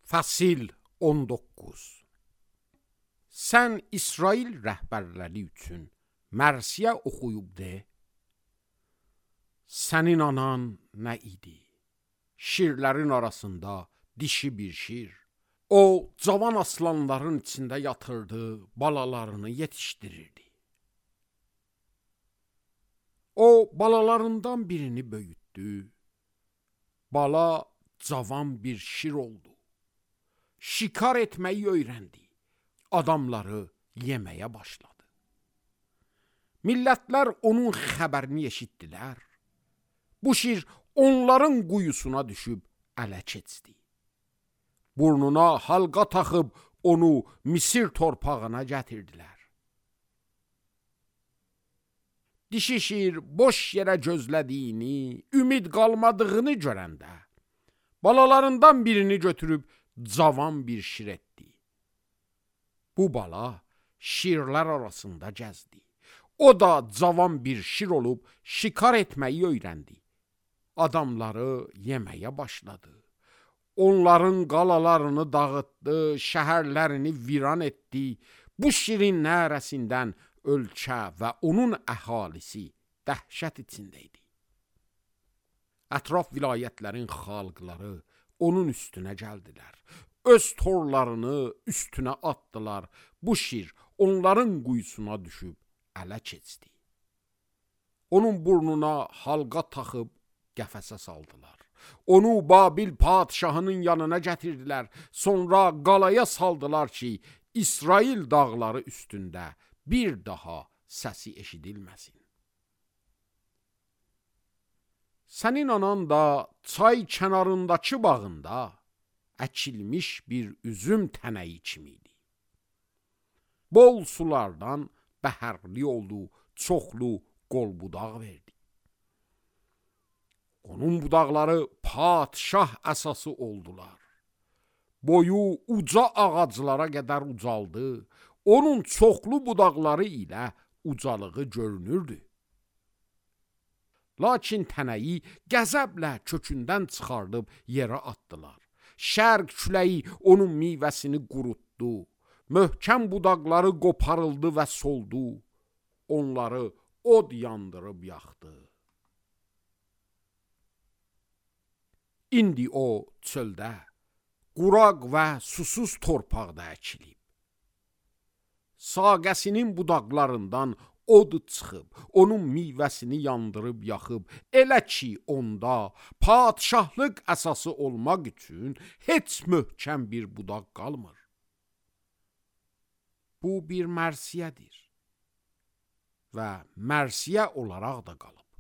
Fəsil 19. Sən İsrail rəhbərləri üçün mərsiyə oxuyub de. Sənin anan nə idi? Şirlərin arasında dişi bir şir. O, cavan aslanların içində yatırdı, balalarını yetişdirirdi. O, balalarından birini böyütdü. Bala cavan bir şir oldu. Şikar etməyi öyrəndi. Adamları yeməyə başladı. Millətlər onun xəbərini eşitdilər. Bu şir onların quyusuna düşüb ələ keçdi. Burnuna halqa taxıb onu Misir torpağına gətirdilər. Dişi şir boş yerə gözlədiyini, ümid qalmadığını görəndə, balalarından birini götürüb cavan bir şir etdi. Bu bala şirlər arasında gəzdi. O da cavan bir şir olub şikar etməyi öyrəndi. Adamları yeməyə başladı. Onların qalalarını dağıtdı, şəhərlərini viran etdi. Bu şirin nərəsindən ölkə və onun əhalisi dəhşət içində idi. Ətraf vilayətlərin xalqları onun üstünə gəldilər. Öz torlarını üstünə atdılar. Bu şir onların quyusuna düşüb ələ keçdi. Onun burnuna halqa taxıb qəfəsə saldılar. Onu Babil padşahının yanına gətirdilər. Sonra qalaya saldılar ki, İsrail dağları üstündə bir daha səsi eşidilməsin. Sənin anan da çay kənarındakı bağında əkilmiş bir üzüm tənəyi kimiydi. Bol sulardan bəhərli oldu, çoxlu qol budaq verdi. Onun budaqları padşah əsası oldular. Boyu uca ağaclara qədər ucaldı. Onun çoxlu budaqları ilə ucalığı görünürdü. Lakin tənəyi qəzəblə kökündən çıxardıb yerə atdılar. Şərq küləyi onun meyvəsini qurutdu. Möhkəm budaqları qoparıldı və soldu. Onları od yandırıb yaxdı. İndi o çöldə, quraq və susuz torpaqda əkilib. Saqəsinin budaqlarından od çıxıb, onun meyvəsini yandırıb yaxıb, elə ki onda padşahlıq əsası olmaq üçün heç möhkəm bir budaq qalmır. Bu bir mərsiyədir və mərsiyə olaraq da qalıb.